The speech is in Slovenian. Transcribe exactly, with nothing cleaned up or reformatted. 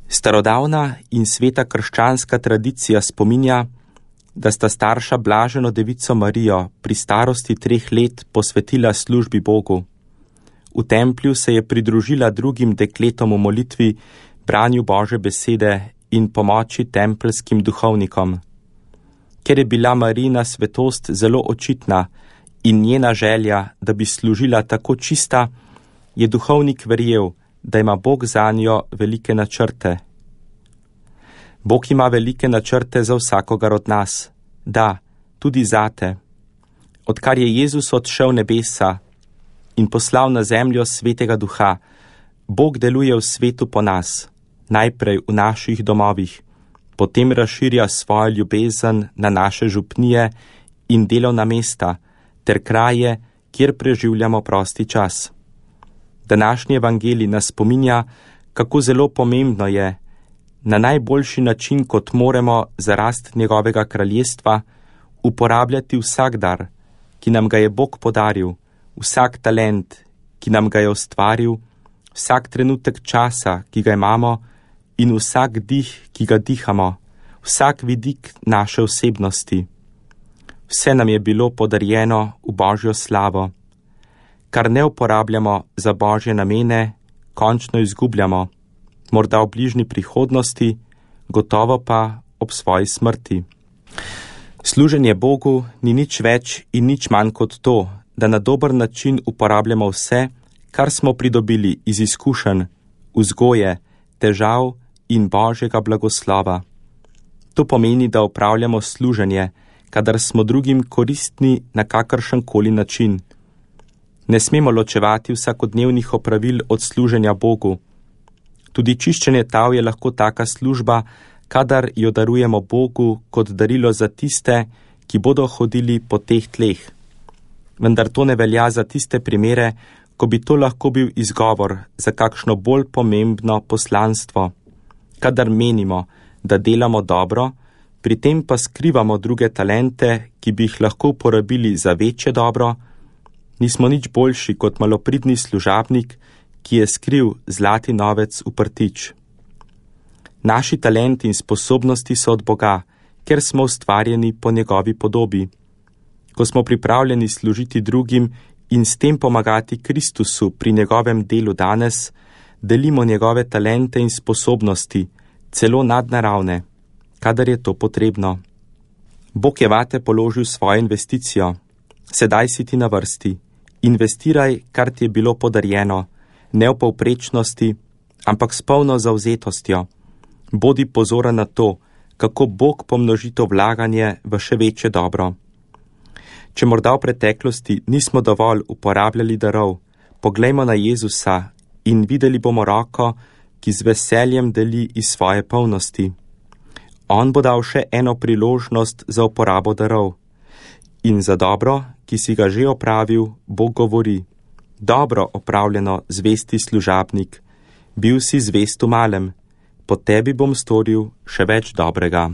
Starodavna in sveta krščanska tradicija spominja, da sta starša blaženo devico Marijo pri starosti treh let posvetila službi Bogu. V templju se je pridružila drugim dekletom v molitvi, branju Božje besede in pomoči tempeljskim duhovnikom. Ker je bila Marijina svetost zelo očitna in njena želja, da bi služila tako čista, je duhovnik verjel, da ima Bog zanjo velike načrte. Bog ima velike načrte za vsakogar od nas, da, tudi zate. Odkar je Jezus odšel nebesa in poslal na zemljo svetega duha, Bog deluje v svetu po nas, najprej v naših domovih, potem razširja svojo ljubezen na naše župnije in delovna mesta ter kraje, kjer preživljamo prosti čas. Današnji evangelij nas spominja, kako zelo pomembno je, na najboljši način, kot moremo za rast njegovega kraljestva, uporabljati vsak dar, ki nam ga je Bog podaril, vsak talent, ki nam ga je ustvaril, vsak trenutek časa, ki ga imamo, in vsak dih, ki ga dihamo, vsak vidik naše osebnosti. Vse nam je bilo podarjeno v Božjo slavo. Kar ne uporabljamo za Božje namene, končno izgubljamo, morda v bližnji prihodnosti, gotovo pa ob svoji smrti. Služenje Bogu ni nič več in nič manj kot to, da na dober način uporabljamo vse, kar smo pridobili iz izkušenj, vzgoje, težav in Božjega blagoslova. To pomeni, da opravljamo služenje, kadar smo drugim koristni na kakršen koli način. Ne smemo ločevati vsakodnevnih opravil od služenja Bogu. Tudi čiščenje tav je lahko taka služba, kadar jo darujemo Bogu kot darilo za tiste, ki bodo hodili po teh tleh. Vendar to ne velja za tiste primere, ko bi to lahko bil izgovor za kakšno bolj pomembno poslanstvo. Kadar menimo, da delamo dobro, pri tem pa skrivamo druge talente, ki bi jih lahko uporabili za večje dobro, nismo nič boljši kot malopridni služabnik, ki je skril zlati novec v prtič. Naši talenti in sposobnosti so od Boga, ker smo ustvarjeni po njegovi podobi. Ko smo pripravljeni služiti drugim in s tem pomagati Kristusu pri njegovem delu danes, delimo njegove talente in sposobnosti, celo nadnaravne, kadar je to potrebno. Bog je vate položil svojo investicijo. Sedaj si ti na vrsti. Investiraj, kar ti je bilo podarjeno, ne v povprečnosti, ampak s polno zavzetostjo. Bodi pozoren na to, kako Bog pomnoži to vlaganje v še večje dobro. Če morda v preteklosti nismo dovolj uporabljali darov, poglejmo na Jezusa in videli bomo roko, ki z veseljem deli iz svoje polnosti. On bo dal še eno priložnost za uporabo darov. In za dobro, ki si ga že opravil, Bog govori: dobro opravljeno, zvesti služabnik, bil si zvest v malem, po tebi bom storil še več dobrega.